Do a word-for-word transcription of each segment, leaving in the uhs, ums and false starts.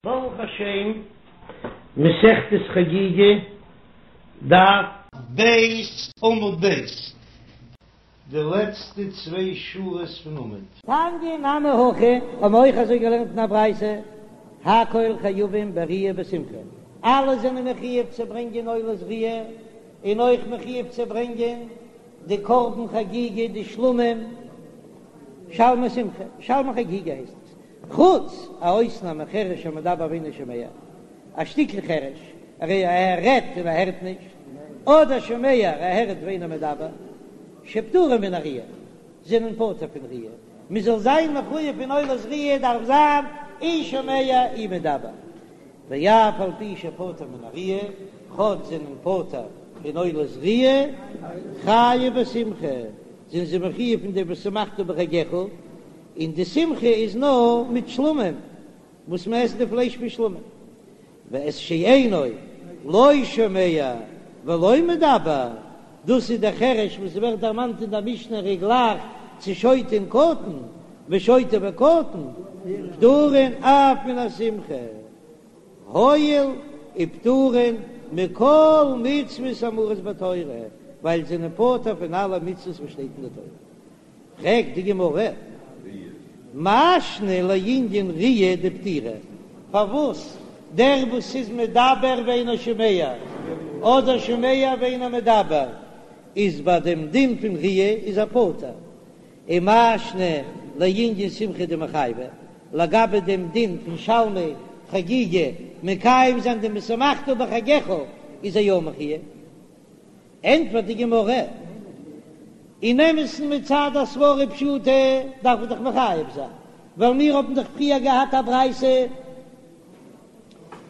ברוך השם, מסכת חגיגה, דף ב' עמוד ב', די לעצטע צוויי שורות פון עמוד. תניא נמי הכי, האבן מיר אויך אזוי געלערנט אין א ברייתא, הכל חייבים בראיה ובשמחה, אלע זענען מחיוב צו ברענגען עולת ראיה, און אויך מחיוב צו ברענגען די קרבן חגיגה, די שלמים, שלמי שמחה, שלמי חגיגה הייסט עס, חוץ א אויסנאם מחרש המדבר ואינו שומע, א שטיקל חרש, ער רעדט און ער הערט נישט, אדער שומע, ער הערט ואינו מדבר, שפטורים מן הראיה, זענען פטור פון ראיה, מען זאל זיין מחויב פון עולת ראיה דארף זיין אי שומע אי מדבר, ואף על פי שפטור מן הראיה, כאטש זענען פטור פון עולת ראיה, חייב בשמחה, זענען זיי מחויב פון די ושמחת בחגך, און די שמחה איז נאר מיט שלמים, וואס מען עסט די פלייש פון שלמים, ואת שאינו לא שומע ולא מדבר, דאס איז דער חרש וואס ווערט דערמאנט אין דער משנה ער גלייכט צו שוטה און קטן, ושוטה וקטן פטורין אף מן השמחה, הואיל ופטורין מכל מצוות האמורות בתורה, ווייל זיי זענען פטור פון אלע מצוות וואס שטייט אין די תורה. פרעגט די גמרא, מאי שנא לענין ראיה דפטירי, פארוואס דער וואס איז מדבר ואינו שומע, אדער שומע ואינו מדבר, איז ביי דעם דין פון ראיה איז ער פטור, ומאי שנא לענין שמחה דמיחייבי, לגבי דעם דין פון שלמי חגיגה מקיים זיין דעם ושמחת בחגך איז ער יא מחויב. ענטפערט די גמרא, אין אמת'ן מצד הסברה פשוטה דארף מען דאך מחייב זיין, ווייל מיר האבן דאך פריער געהאט א ברייתא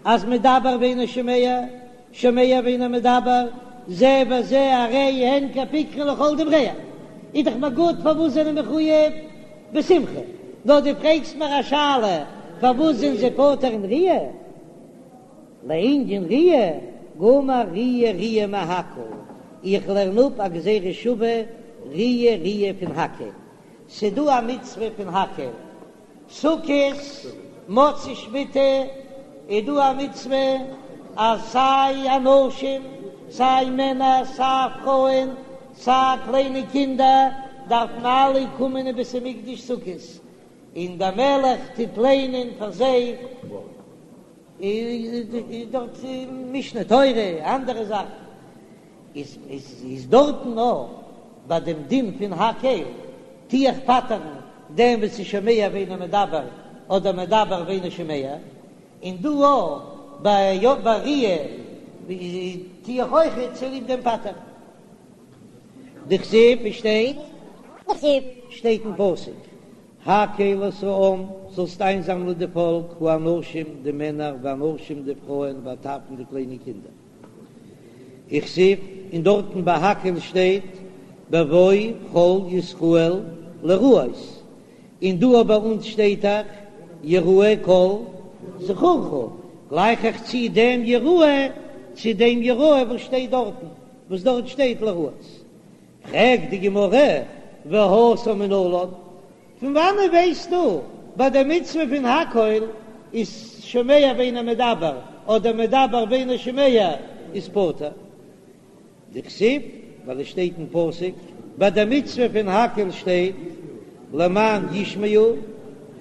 אז מדבר ואינו שומע, שומע ואינו מדבר, זה וזה הרי הן כפיקחן לכל דבריהם, איז דאך מיר גוט פארוואס זענען מחויב בשמחה, נאר דו פרעגסט מיר א שאלה פארוואס זענען זיי פטור אין ראיה? לענין ראיה, גמר ראיה ראיה מהקהל, איך לערן אפ א גזירה שווה ראיה ראיה פון הקהל, ס'דא א מצוה פון הקהל, סוכות, מוצאי שמיטה, איז דא א מצוה אז סיי אנשים, סיי מענער, סיי פרויען, סיי קליינע קינדער, דארפן אלע קומען אין בית המקדש סוכות, און דער מלך טוט ליינען פאר זיי. איז דארט משנה תורה אנדערע זאכן איז איז דארטן נאר ביי דעם דין פון הקהל טו איך פטר'ן דעם וואס איז שומע ואינו מדבר אדער מדבר ואינו שומע, און דא אויך ביי ראיה טו איך אויך צוליב דעם פטר'ן. דכתיב שטייט שטייט אין פסוק הקהל את העם, זאלסט איינזאמלען די פאלק, האנשים, די מענער, והנשים, די פרויען, והטף, און די קליינע קינדער. וכתיב, און דארטן ביי הקהל שטייט, בבוא כל ישראל לראות, און דא ביי אונז שטייט דאך, יראה כל זכורך, גלייך איך צו דעם יראה צו דעם יראה וואס שטייט דארטן, וואס דארט שטייט לראות. פרעגט די גמרא, והתם מנלן, פון וואנען ווייסטו ביי די מצוה פון הקהל איז שומע ואינו מדבר אדער מדבר ואינו שומע איז פטור? דכתיב, ווייל עס שטייט אין פסוק ביי די מצוה פון הקהל שטייט למען ישמעו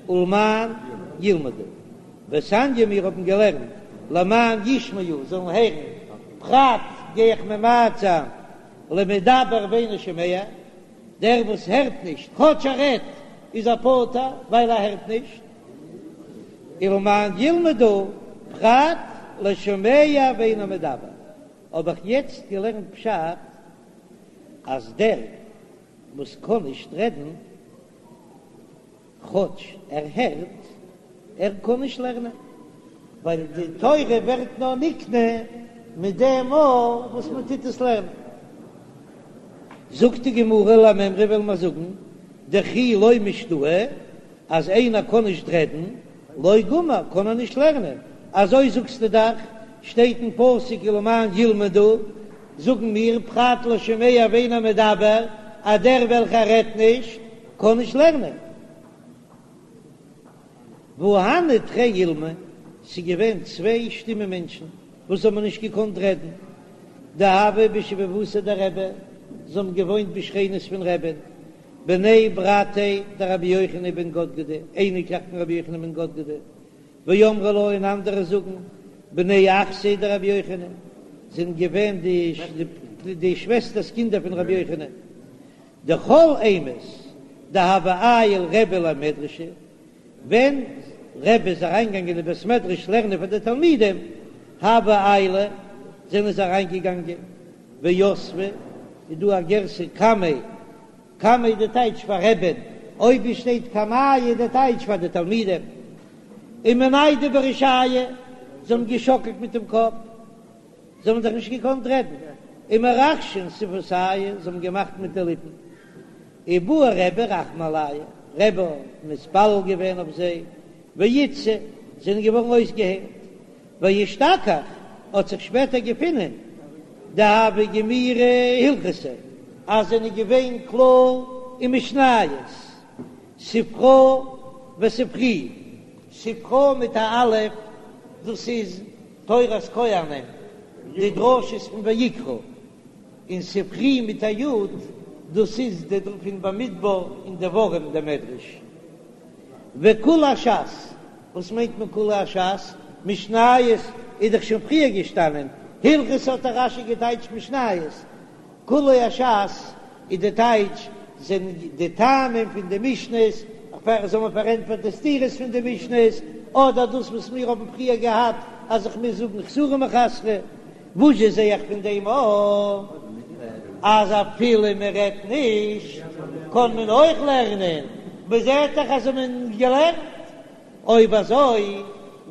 ולמען ילמדו, ותניא מיר האבן געלערנט למען ישמעו זאלן הערן, פרט גיי איך ממעט זיין למדבר ואינו שומע, דער וואס הערט נישט, כאטש ער רעדט, איז ער פטור ווייל ער הערט נישט, ולמען ילמדו, פרט לשומע ואינו מדבר, האב איך יעצט געלערנט פשט אז דער וואס קען נישט רעדן, כאטש ער הערט, ער קען נישט לערנען, ווייל די תורה ווערט נאר נקנה מיט דעם מאל וואס מען טוט עס לערנען. זאגט די גמרא למימרא וועלן מיר זאגן דכי לא משתעי, אז איינער קען נישט רעדן, לא גמר, קען ער נישט לערנען, אזוי זאגסטו דאך, שטייט אין פסוק ולמען ילמדו, זאגן מיר פרט לשומע ואינו מדבר, אז דער וועלכער רעדט נישט, קען נישט לערנען. והא הני תרי אילמי, ס'איז געווען צוויי שטומע מענטשן וואס האבן נישט געקאנט רעדן, דהוו בשיבבותיה דרבי, זיי האבן געוואוינט בשכנות פון רבי'ן, בני ברתיה דרבי יוחנן בן גדגדה, אייניקלעך פון רבי יוחנן בן גדגדה, ואמרי לה און אנדערע זאגן, בני אחתיה דרבי יוחנן, זענען געווען די שוועסטערס קינדער פון רבי יוחנן, דכל אימת דהוה עייל רבי למדרשא, ווען רבי איז אריינגעגאנגען אין בית מדרש לערנען פאר די תלמידים, הוו עיילי, זענען זיי אריינגעגאנגען, ויתבי, איז דא א גירסא קמיה, קמיה די טייטש פאר רבי'ן, אויב עס שטייט קמייהו די טייטש פאר די תלמידים, ומניידי ברישייהו, זיי האבן געשאקלט מיט דעם קאפ, זיי האבן דאך נישט געקאנט רעדן, ומרחשין שפוותייהו, זיי האבן געמאכט מיט די ליפן, ובעי רבי רחמי עלייהו, רבי האט מתפלל געווען אויף זיי, ואיתסו, זענען געווארן אויסגעהיילט, ואשתכח, האט זיך שפעטער געפונען, דהוו גמירי הלכתא, אז זענען געווען קלאר אין משניות, ספרא וספרי, ספרא מיט א אלף, דאס איז תורת כהנים, די דרשות פון ויקרא. און ספרי מיט א י', דאס איז די פון במדבר און דברים די מדרש. וכולי הש"ס, וואס מיינט מען כולי הש"ס? משניות איז דאך שוין פריער געשטאנען, הלכתא האט דאך רש"י געטייטשט משניות, כולי הש"ס איז די טייטש זענען די טעמים פון די משניות, זאל מען פארענטפערן די סתירות פון די משניות, אדער דאס וואס מיר האבן פריער געהאט אז איך מוז זאגן חסורי מחסרא. וואס זשע זע איך פון דעם א אז אפילו מען רעדט נישט קען מען אויך לערנען, מען זעט דאך אז האבן געלערנט, אויב אזוי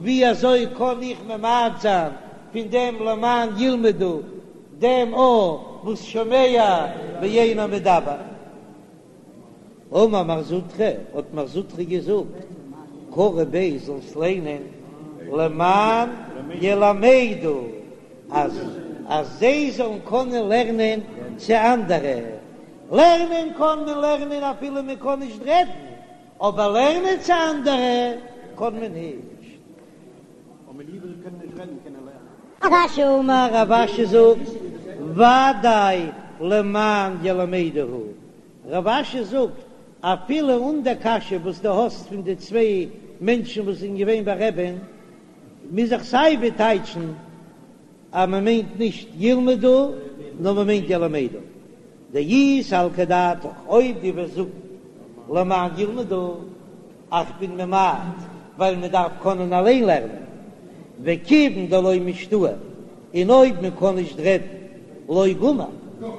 ווי אזוי קען איך ממעט זיין פון דעם למען ילמדו דעם א וואס שומע ואינו מדבר? אמר מר זוטרא, האט מר זוטרא געזאגט, קרי ביה זאלסט ליינען למען ילמדו, אז אז זיי זאלן קענען לערנען צו אנדערע, לערנען קען מען לערנען אפילו מען קען נישט רעדן, אבער לערנען צו אנדערע קען מען נישט. רב אשי אמר, רב אשי זאגט, ודאי למען ילמדו הוא, רב אשי זאגט, אפילו אן די קשיא וואס דו האסט פון די צוויי מענטשן וואס זענען געווען ביי רבי'ן, מוז איך סיי ווי טייטשן אז מען מיינט נישט ילמדו נאר מען מיינט ילמדו. דאי סלקא דעתך, אויב דו וועסט זאגן למען ילמדו, איך בין ממעט ווייל מען דארף קענען אליין לערנען, וכיוון דלא משתעי, און אויב מען קען נישט רעדן לא גמר,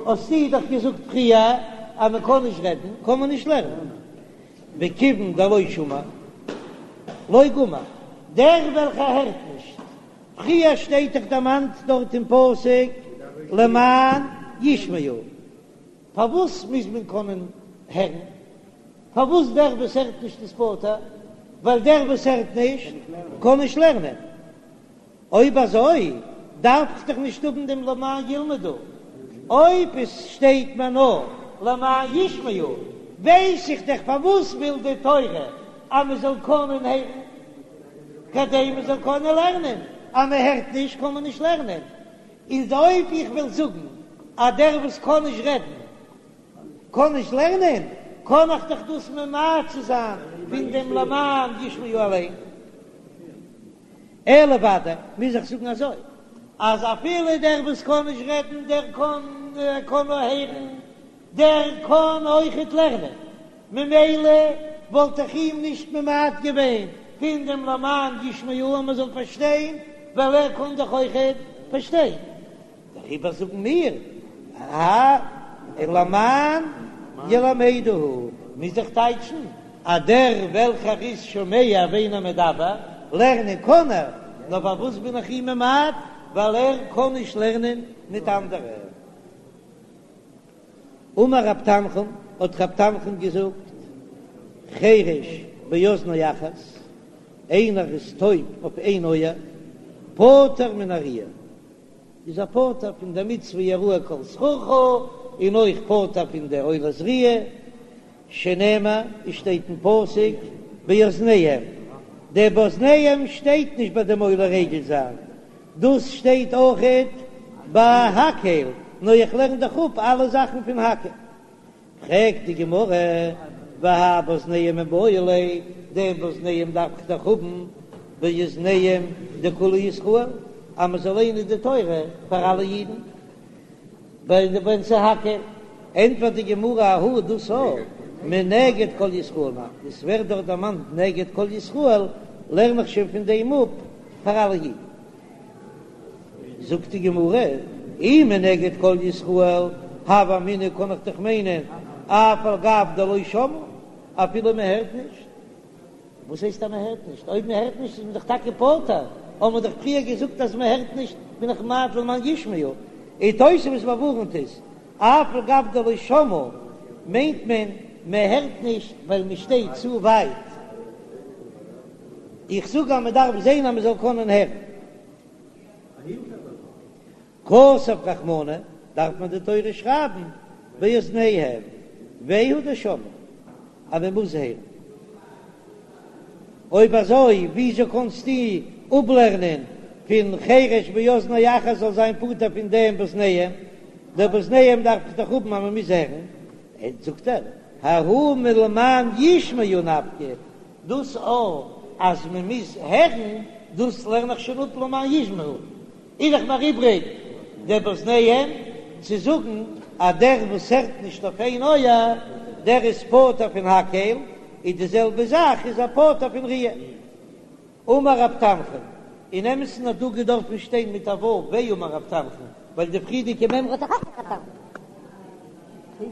האסטו דאך געזאגט פריער אז מען קען נישט רעדן קען מען נישט לערנען, וכיוון דלא שמע לא גמר, דער וועלכער הערט נישט, פריער שטייט דאך דערמאנט דארט אין פסוק למען ישמעו, פארוואס מוז מען קענען הערן? פארוואס דער וואס הערט נישט איז פטור? ווייל דער וואס הערט נישט קען נישט לערנען. אויב אזוי דארף איך דאך נישט האבן דעם למען ילמדו. אויב עס שטייט מיר נאר למען ישמעו, ווייס איך דאך פארוואס וויל די תורה אז מען זאל קענען הערן, כדי מען זאל קענען לערנען. אז מען הערט נישט קען מען נישט לערנען. איז אויב איך וויל זאגן אז דער וואס קען נישט רעדן קען נישט לערנען, קען איך דאך דאס ממעט צו זיין פון דעם למען ישמעו אליין. אלא ודאי מוז איך זאגן אזוי, אז אפילו דער וואס קען נישט רעדן, דער קען קען נאר הערן, דער קען אויכעט לערנען, ממילא וואלט איך אים נישט ממעט געווען פון דעם למען ישמעו אז מען זאל פארשטיין, ווייל ער קען דאך אויכעט פארשטיין. דעריבער זאגן מיר, א למען ילמדו, מוז איך טייטשן אז דער וועלכער איז שומע ואינו מדבר, לערנען קען ער, נאר פארוואס בין איך אים ממעט? ווייל ער קען נישט לערנען מיט אנדערע. אמר רב תנחום, האט רב תנחום געזאגט, חרש באזנו אחת, איינער איז טויב אויף איין אויער, פטור מן הראיה. איז ער פטור פון די מצוה יראה כל זכורך, און אויך פטור פון די עולת ראיה, שנאמר, עס שטייט אין פסוק באזניהם, דער באזניהם שטייט נישט ביי דעם עולה רגל זיין, דאס שטייט אויכעט ביי הקהל, נאר איך לערן דאך אפ אלע זאכן פון הקהל. פרעגט די גמרא, והאי באזניהם מיבעי ליה, דעם באזניהם דארף איך דאך האבן באזניהם דכולהו ישראל, אז מען זאל ליינען די תורה פאר אלע אידן, ווען ס'איז הקהל, ענטפערט די גמרא ההוא דאס א מנגד כל ישראל נפקא, עס ווערט דארט דערמאנט נגד כל ישראל, לערן איך שוין פון דעם אפ פאר אלע אידן. זאגט די גמרא, אי מנגד כל ישראל, הוה אמינא קען איך דאך מיינען אף על גב דלא שמעו, אפילו מען הערט נישט. וואס הייסט אז מען הערט נישט? אויב מען הערט נישט איז מען דאך טאקע פטור, האבן מיר דאך פריער געזאגט אז מען הערט נישט בין איך ממעט למען ישמעו, און תוספות באווארנט עס, אף על גב דלא שמעו מיינט מען מען הערט נישט ווייל מען שטייט צו ווייט, איך זאג אז מען דארף זען אז מען זאל קענען הערן. כתב רחמנא, דארף מען די תורה שרייבן באזניהם, והוא דשמעו, אז מען מוז הערן. אויב אזוי וויאזוי קענסטו אפלערנען פון חרש באזנו אחת זאל זיין פטור פון דעם באזניהם? דער באזניהם דארף איך דאך האבן אז מען מוז הערן. זאגט ער, ההוא מלמען ישמעו נפקא, דאס א אז מען מוז הערן, דאס לערן איך שוין אפ למען ישמעו, איז דאך נאר איבריג דער באזניהם צו זאגן אז דער וואס הערט נישט אויף איין אויער דער איז פטור פון הקהל, איז די זעלבע זאך איז ער פטור פון ראיה. אמר רב תנחום, אין אמת'ן האט דא געדארפן שטיין מיט א ו' ואמר רב תנחום, ווייל די פריערדיגע מימרא האט דאך אויך רב תנחום.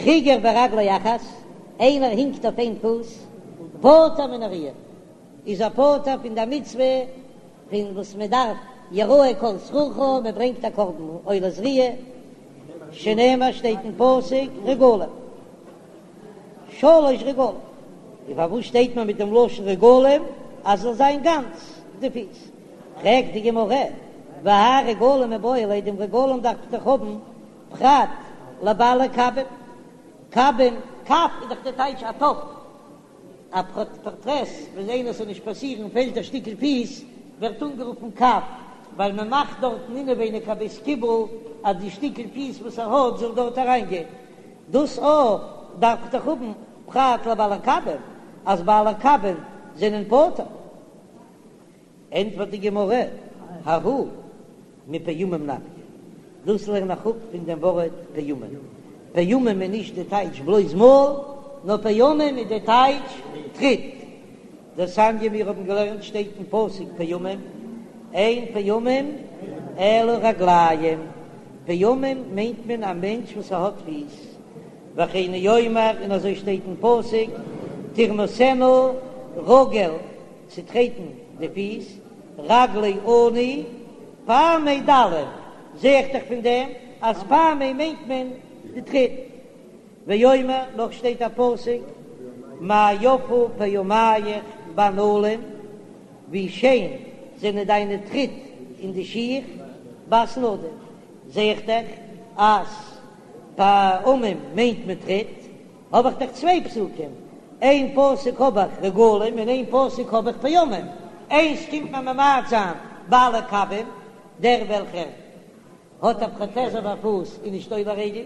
חיגר ברגלו אחת, איינער הינקט אויף איין פוס, פטור מן הראיה, איז ער פטור פון די מצוה פון וואס מען דארף יראה כל זכורך, מען ברענגט א קרבן עולת ראיה, שנאמר שטייט אין פסוק רגלים שלש רגלים, און פארוואס שטייט מען מיט דעם לשון רגלים אז זאל זיין גאנץ די פיס? פרעגט די גמרא, והאי רגלים מיבעי ליה, דעם רגלים דארף איך דאך האבן פרט לבעלי קבים, קבים, קב איז דאך די טייטש א טאפ, א פראטעז, ווען איינער ס'זאל נישט פאסירן פעלט א שטיקל פיס, ווערט אנגערופן קב, ווייל מען מאכט דארטן אינעווייניג א בית קיבול אז די שטיקל פיס וואס ער האט זאל דארט אריינגיין. דאס א דארף איך דאך האבן פרט לבעלי קבים, אז בעלי קבים זענען פטור. ענטפערט די גמרא, ההוא מפעמים נפקא, דאס לערן איך אפ פון דעם ווארט פעמים, פעמים איז נישט די טייטש בלויז מאל, נאר פעמים איז די טייטש טריט, דתניא מיר האבן געלערנט שטייט אין פסוק פעמים, אין פעמים אלא רגליים, פעמים מיינט מען א מענטש וואס ער האט פיס, וכן הוא אומר און אזוי שטייט אין פסוק תרמסנה רגל צוטרעטן די פיס, רגלי עני, פעמי דלים, זע איך דאך פון דעם אז פעמי מיינט מען די טריט. ואומר, נאך שטייט א פסוק, מה יפו פעמיך בנעלים, ווי שיין זענען דיינע טריט אין די שיך, בת נדיב, זע איך דאך אז פעמים מיינט מען טריט. האב איך דאך צוויי פסוקים, איין פסוק האב איך רגלים און איין פסוק האב איך פעמים, איינס קומט מען ממעט זיין בעלי קבים, דער וועלכער האט א פראטעז אויף א פוס איז נישט עולה רגל,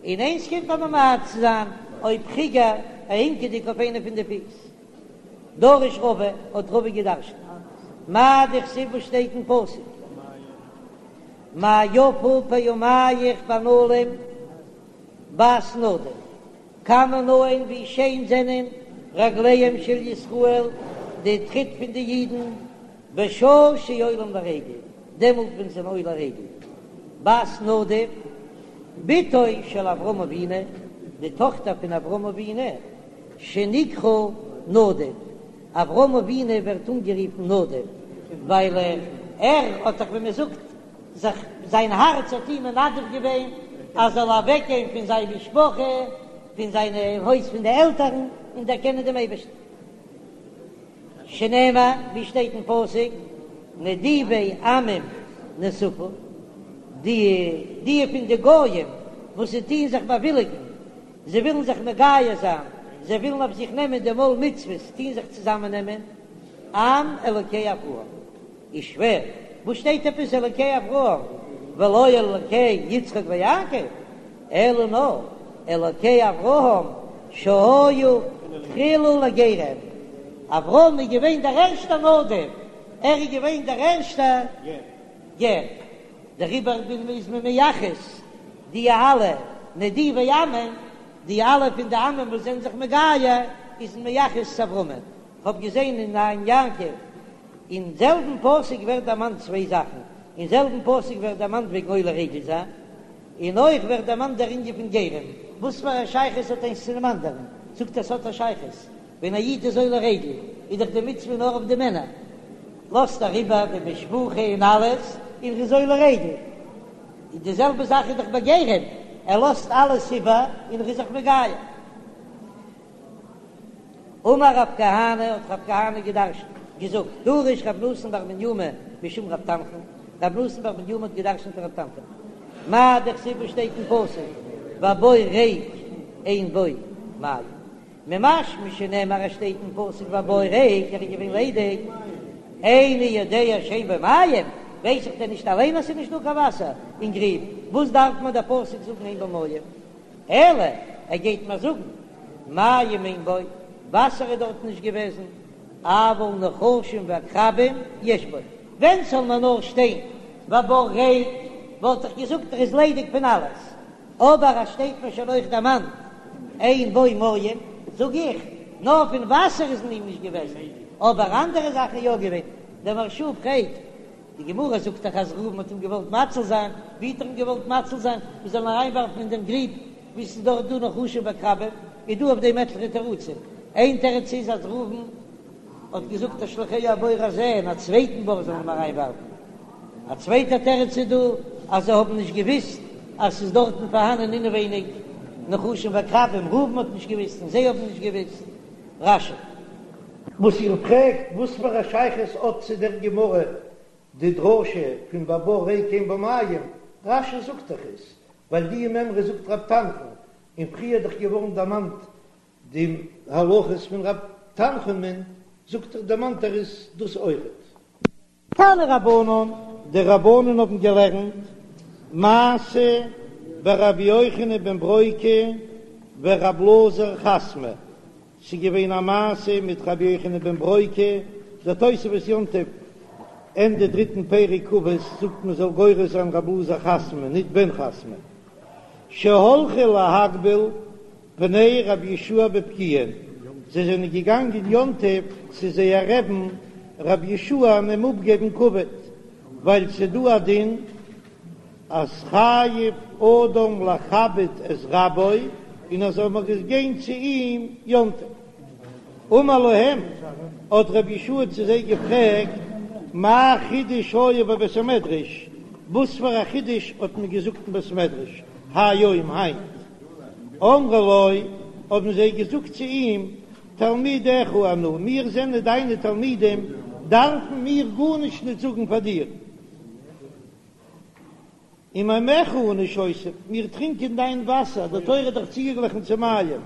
און איינס קומט מען ממעט זיין אויב חיגר, א הינקעדיג אויף איינע פון די פיס. דרש רבא, האט רבא געדרשנט, מאי דכתיב וואס שטייט אין פסוק, מה יפו פעמיך בנעלים, בת נדיב, כמה נאין ווי שיין זענען רגליהם של ישראל, די טריט פון די אידן, בשעה שעולים לרגל, דעמאלט ווען זיי זענען עולה רגל. בת נדיב, בתו של אברהם אבינו, די טאכטער פון אברהם אבינו, שנקרא נדיב, אברהם אבינו ווערט אנגערופן נדיב, ווייל ער האט דאך ווי מען זאגט זיך, זיין הארץ האט אים מנדב געווען אז זאל אוועק גיין פון זיין משפחה, פון זיין הויז פון די עלטערן, און דערקענען דעם אייבערשטן. שנאמר, ווי שטייט אין פסוק, נדיבי עמים נאספו, די די פון די גויים וואס זיי טוען זיך באוויליגן, זיי ווילן זיך מגייר זיין, זיי ווילן אויף זיך נעמען דעם עול מצוות, טוען זיך צוזאמען נעמען, עם אלוקי אברהם. איז שווער, וואס שטייט עפעס אלוקי אברהם ולא אלוקי יצחק ויעקב, אלא נאר אלוקי אברהם שהיה תחילה לגרים, אברהם איז געווען דער ערשטער נדיב, ער איז געווען דער ערשטער גר, דעריבער איז מען מייחס די אלע נדיבי עמים, די אלע פון די עמים וואס זענען זיך מגייר, איז מען מייחס צו אברהמען, כ'האב געזען אין עין יעקב אין זעלבן פסוק ווערט דערמאנט צוויי זאכן, אין זעלבן פסוק ווערט דערמאנט וועגן עולה רגל זיין, און אויך ווערט דערמאנט דער ענין פון גרים, וואס פאר א שייכות האט איינס צו דעם אנדערן? זאגט ער ס'האט א שייכות, ווען א איד איז עולה רגל איז דאך די מצוה נאר אויף די מענער, לאזט ער איבער די משפחה און אלעס און ר'איז עולה רגל, און די זעלבע זאך איז דאך ביי גרים, ער לאזט אלעס איבער און ר'איז זיך מגייר. אמר רב כהנא, האט רב כהנא געדרשנט, געזאגט, דרש רב נתן בר מניומי משום רב תנחום, רב נתן בר מניומי האט געדרשנט פון רב תנחום, מאי דכתיב וואס שטייט אין פסוק, והבור ריק אין בו מים, ממשמע שנאמר עס שטייט אין פסוק והבור ריק ער איז געווען ליידיג, איני יודע שאין בו מים, ווייס איך דען נישט אליין אז ס'איז נישט דא קיין וואסער אין גריב, וואס דארף מיר דער פסוק זאגן אין בו מים? אלא ער גייט מיר זאגן מים אין בו, וואסער איז דארט נישט געוועזן, אבל נחשים ועקרבים יש בו, ווען ס'זאל מיר נאר שטיין והבור ריק וואלט איך געזאגט ער איז ליידיג פון אלעס, אבער אז שטייט מיר שוין אויך דערמאנט אין בו מים, זאג איך, נאר פון וואסער איז אין אים נישט געוועזן, אבער אנדערע זאכן יא געווען, דער מהרש"א פרעגט די גמרא זאגט דאך אז ראובן האט אים געוואלט מציל זיין, ווי האט ער אים געוואלט מציל זיין? מען זאל אים אריינווארפן אין דעם גריב וואו ס'איז דארט דא נחשים ועקרבים, איז דא אויף דעם עטליכע תירוצים, איין תירוץ איז אז ראובן האט געזאגט השליכהו הבור הזה אין א צווייטן בור זאל מען אים אריינווארפן, א צווייטע תירוץ איז דא אז זיי האבן נישט געוויסט אז ס'איז דארטן פארהאנען אינעווייניג נחשים ועקרבים, ראובן האט נישט געוויסט און זיי האבן נישט געוויסט. רש"י. וואס איר פרעגט וואס פאר א שייכות האט צו דער גמרא די דרשה פון והבור ריק אין בו מים, רש"י זאגט דאך עס ווייל די מימרא זאגט רב תנחום, און פריער איז דאך געווארן דערמאנט די הלכות פון רב תנחומ'ן, זאגט ער דערמאנט ער עס דאס אויכעט. תנו רבנן, די רבנן האבן געלערנט מעשה ברבי יוחנן בן ברוקה ורב אלעזר חסמא, ס'איז געווען א מעשה מיט רבי יוחנן בן ברוקה, דער תוספות יום טוב ענדע דריטן פרק אבות זאגט מען זאל גורס זיין רב אלעזר חסמא ניט בן חסמא, שהלכו להקביל פני רבי יהושע בפקיעין, זיי זענען געגאנגען יום טוב צו זייער רעבן רבי יהושע און אים אפגעבן כבוד, ווייל ס'דא א דין אז חייב אדם לכבד את רבו, און אז זאל מען גיין צו אים יום טוב. אמר להם, האט רבי יהושע צו זיי געפרעגט, מה חידוש היה בבית המדרש, וואס פאר א חידוש האט מען געזאגט אין בית המדרש היום, היינט? אמרו לו, האבן זיי געזאגט צו אים, תלמידיך אנו, מיר זענען דיינע תלמידים, דארפן מיר גארנישט ניט זאגן פאר דיר. וממיך אנו שותים, מיר טרינקען דיין וואסער, די תורה האט דאך צוגעגליכן צו מים.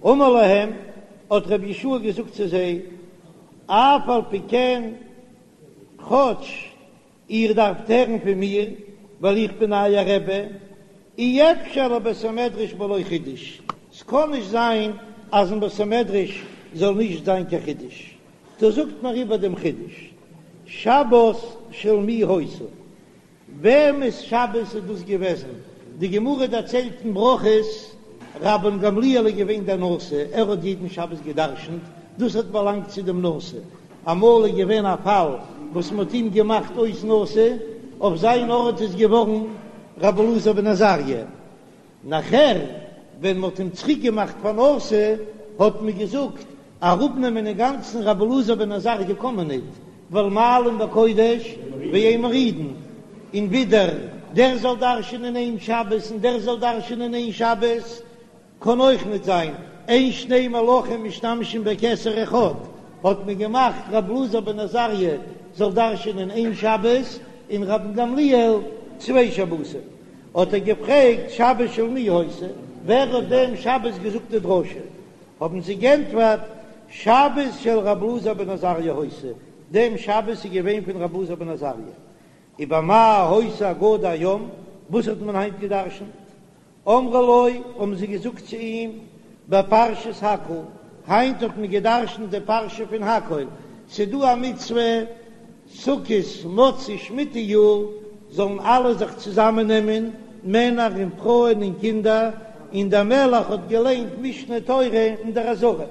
אמר להם, האט רבי יהושע געזאגט צו זיי, אף על פי כן, כאטש איר דארפט הערן פון מיר, ווייל איך בין אייער רבי, אי אפשר לבית המדרש בלא חידוש, ס'קען נישט זיין אז אין בית המדרש זאל נישט זיין קיין חידוש, טא זאגט מיר איבער דעם חידוש, שבת של מי היתה, וועמענס שבת איז דאס געוועזן? די גמרא דערציילט אין ברכות, רבן גמליאל איז געווען דער נשיא, ער האט יעדן שבת גע'דרש'נט, דאס האט באלאנגט צו דעם נשיא, אמאל איז געווען א פאל וואס מען האט אים געמאכט אויס נשיא, אויף זיין ארט איז געווארן רבי אלעזר בן עזריה, נאכער ווען מען האט אים צוריק געמאכט פאר נשיא האט מען געזאגט אראפנעמען אינגאנצן רבי אלעזר בן עזריה קען מען ניט, ווייל מעלין בקודש ואין מורידין, און ווידער דער זאל דרש'ענען איין שבת און דער זאל דרש'ענען איין שבת קען אויך ניט זיין, אין שני מלכים משתמשים בכתר אחד, האט מען געמאכט רבי אלעזר בן עזריה זאל דרש'ענען איין שבת און רבן גמליאל צוויי שבתים, האט ער געפרעגט שבת של מי היתה, ווער האט דעם שבת געזאגט די דרשה, האבן זיי גענטפערט שבת של רבי אלעזר בן עזריה היתה, דעם שבת איז געווען פון רבי אלעזר בן עזריה. ובמה היתה אגדה היום, וואס האט מען היינט גע'דרש'נט? אמרו לו, האבן זיי געזאגט צו אים, בפרשת הקהל, היינט האט מען גע'דרש'נט די פרשה פון הקהל, ס'דא א מצוה סוכות מוצאי שמיטה יאר זאלן אלע זיך צוזאמען נעמען, מענער און פרויען און קינדער, און דער מלך האט געליינט משנה תורה אין דער עזרה.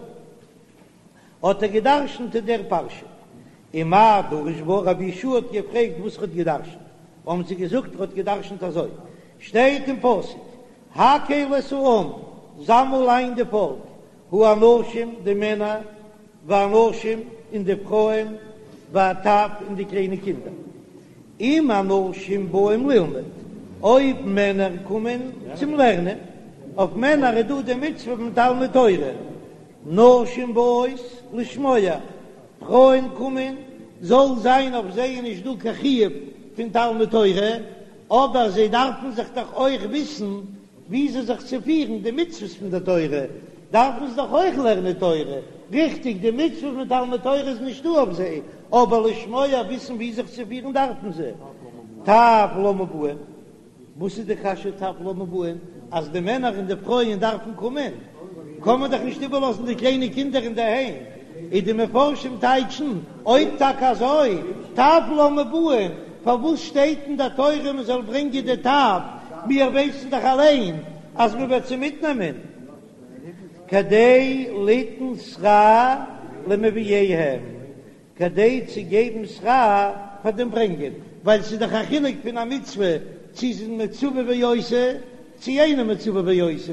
האט ער גע'דרש'נט אין דער פרשה. ומאי דרש בה, רבי יהושע האט געפרעגט וואס ער האט גע'דרש'נט, האבן זיי געזאגט ער האט גע'דרש'נט אזוי, שטייט אין פסוק, הקהל את העם, זאמל איין די פאלק, האנשים, די מענער, והנשים, און די פרויען, והטף, און די קליינע קינדער. אם אנשים באים ללמוד, אויב מענער קומען צום לערנען, אויף מענער איז דא די מצוה פון תלמוד תורה, נשים באות לשמוע, פרויען קומען, זאל זיין אויף זיי איז נישט דא קיין חיוב פון תלמוד תורה, אבער זיי דארפן זיך דאך אויך וויסן וויאזוי זיך צו פירן, די מצוות פון די תורה דארפן זיי דאך אויך לערנען תורה, ריכטיג די מצוה פון תלמוד תורה איז נישטא אויף זיי, אבער לשמוע וויסן ווי זיך צו פירן דארפן זיי. טף למה באין? וואס איז די קשיא טף למה באין? אז די מענער און די פרויען דארפן קומען, קען מען דאך נישט איבערלאזן די קליינע קינדער אינדערהיים, איז די מפרשים טייטשן, אויב טאקע אזוי, טף למה באין, פארוואס שטייט אין די תורה מען זאל ברענגען די טף, מיר ווייסן דאך אליין אז מען וועט זיי מיטנעמען, כדי ליתן שכר למביאיהם, כדי צו געבן שכר פאר דעם ברענגען, ווייל ס'איז דאך א חילוק פון א מצוה צו ס'איז מצווה ועושה צו אינו מצווה ועושה,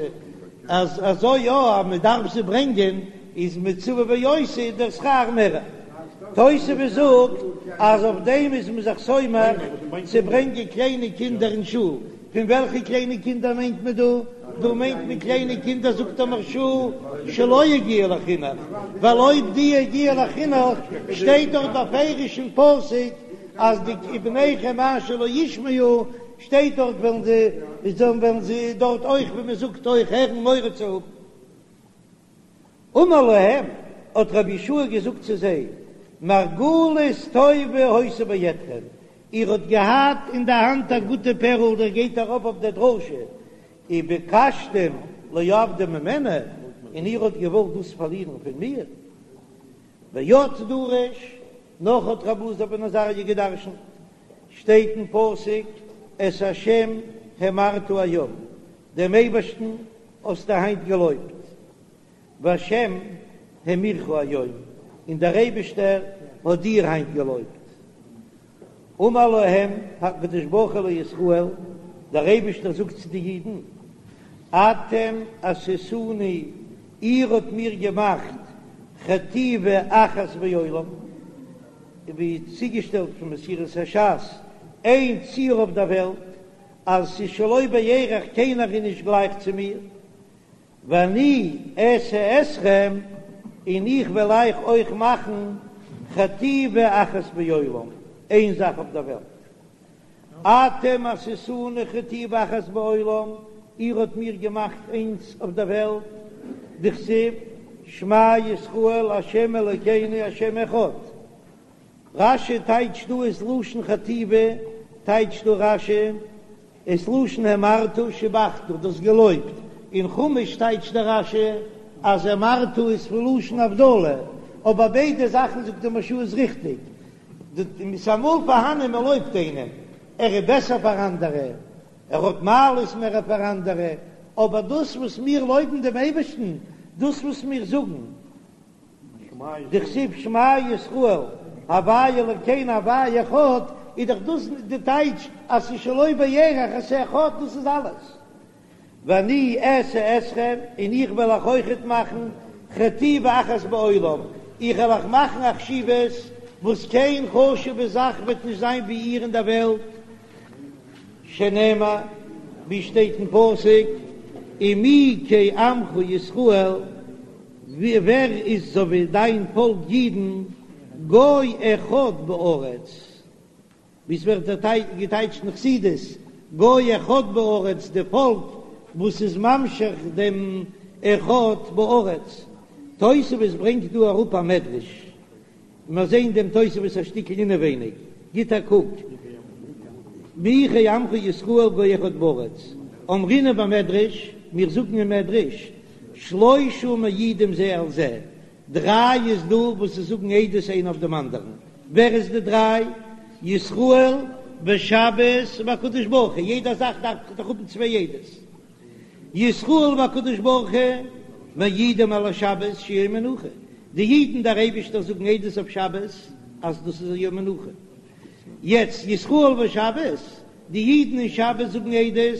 אז אזוי יא אז מ'דארף זיי ברענגען איז מצווה ועושה איז דער שכר מער. תוספות זאגט אז אויף דעם איז מען זיך סומך צו ברענגען קליינע קינדער אין שול, פון וועלכע קליינע קינדער מיינט מען דא? דא מיינט מען קליינע קינדער זאגט דער מהרש"א שלא הגיעו לחינוך, ווייל אויב די הגיעו לחינוך שטייט דארט בפירוש אין פסוק אז די ובניכם אשר לא ישמעו שטייט דארט וועלן זיי וועלן זיי דארט אויך ווי מען זאגט אויך הערן מורא צו האבן. אמר להם, האט רבי יהושע געזאגט צו זיי, מרגלית טובה היתה בידכם, איר האט געהאט אין די האנט א גוטע פערל, דער גייט ארויף אויף דער דרשה, וביקשתם לאבדה ממני, און איר האט געוואלט דאס פארלירן פון מיר. ועוד דרש, נאך האט רבי אלעזר בן עזריה געדרשנט, שטייט אין פסוק, את השם האמרת היום, דעם אייבערשטן האסטו היינט געלויבט, והשם האמירך היום, און דער אייבערשטער האט דיר היינט געלויבט. אמר להם הקדוש ברוך הוא לישראל, דער אייבערשטער זאגט צו די אידן, אתם עשיתוני, איר האט מיר געמאכט חטיבה אחת בעולם, ווי צוגעשטעלט פון מסורת הש"ס, איין ציור אויף דער וועלט, אז ס'איז שלא בערך קיינער איז נישט גלייך צו מיר, ואני אעשה אתכם, און איך וועל אייך אויך מאכן חטיבה אחת בעולם, איין זאך אויף דער וועלט. אתם עשיתוני חטיבה אחת בעולם, איר האט מיר געמאכט איינס אויף דער וועלט, דכתיב, שמע ישראל ה' אלוקינו ה' אחד. רש"י טייטשט דא עס לשון חטיבה, טייטשט דא רש"י עס לשון האמרת שיבחת, דאס געלויבט, אין חומש טייטשט דער רש"י אז האמרת איז פון לשון הבדלה, אבער ביידע זאכן זאגט דער מהרש"א איז ריכטיג, ס'איז אמאל פארהאנען מען לויבט איינעם, ער איז בעסער פאר אנדערע, ער האט מעלות מער פאר אנדערע, אבער דאס וואס מיר לויבן דעם אייבערשטן, דאס וואס מיר זאגן, דכתיב שמע ישראל הוי' אלקינו הוי' אחד, איז דאך דאס די טייטש אז ס'איז שלא בערך אז ס'איז אחד, דאס איז אלעס. ואני אעשה אתכם, און איך וועל אייך אויכעט מאכן חטיבה אחת בעולם, איך וועל אייך מאכן א חשיבות וואס קיין חשוב'ע זאך וועט נישט זיין ווי איר אין דער וועלט, שנאמר, ווי שטייט אין פסוק, ומי כעמך ישראל, ווער איז אזוי ווי דיין פאלק אידן, גוי אחד בארץ, ווי עס ווערט געטייטשט אין חסידות, גוי אחד בארץ, די פאלק וואס איז ממשיך דעם אחד בארץ. תוספות ברענגט דא אראפ א מדרש, מיר זעהן דעם תוספות א שטיקל אינעווייניג, גיט א קוק, מי כעמך ישראל גוי אחד בארץ, אמרינן במדרש, מיר זאגן אין מדרש, שלושה מעידים זה על זה, דריי איז דא וואס זיי זאגן עדות איינער אויף דעם אנדערן, ווער איז די דריי? ישראל ושבת והקדוש ברוך הוא, יעדע זאך דארף דאך האבן צוויי עדות, ישראל והקדוש ברוך הוא מעידים על השבת שהיא יום מנוחה, די אידן דער אייבישטער זאגן עדות אויף שבת אז דאס איז א יום מנוחה, יעצט ישראל ושבת, די אידן און שבת זאגן עדות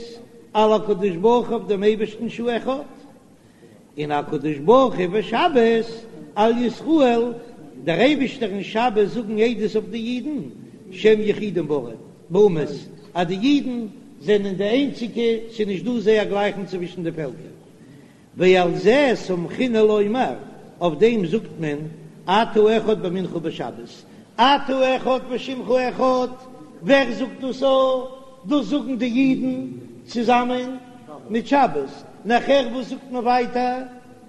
על הקדוש ברוך הוא אויף דעם אייבישטן שהוא אחד, און הקדוש ברוך הוא ושבת על ישראל, דער אייבישטער און שבת זאגן עדות אויף די אידן שהם יחידים באומות, אז די אידן זענען די איינציגע, ס'איז נישט דא זייער גלייכן צווישן די פעלקער. ועל זה סמכינן לומר, אויף דעם זאגט מען אתה אחד במנחה ובשבת, אתה אחד ושמך אחד, ווער זאגט דאס? דאס זאגן די אידן צוזאמען מיט שבת, נאכער וואס זאגט מען ווייטער?